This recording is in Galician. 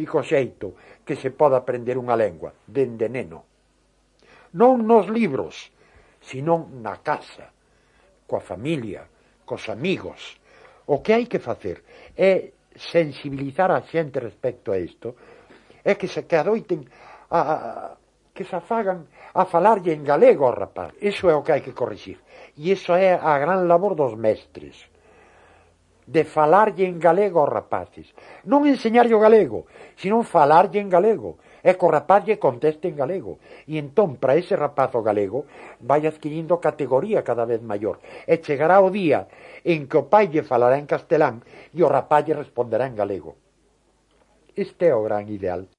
único xeito que se pode aprender unha lengua, dende neno. Non nos libros, senón na casa, coa familia, cos amigos. O que hai que facer é sensibilizar a xente respecto a isto, é que se adoiten que se afagan a falarlle en galego ao rapaz. Iso é o que hai que corrixir. E iso é a gran labor dos mestres, de falarlle en galego aos rapaces. Non enseñarlle o galego, senón falarlle en galego. E que o rapaz lle conteste en galego. E entón, para ese rapaz o galego, vai adquirindo categoría cada vez maior. E chegará o día en que o pai lle falará en castelán e o rapaz lle responderá en galego. Este é o gran ideal.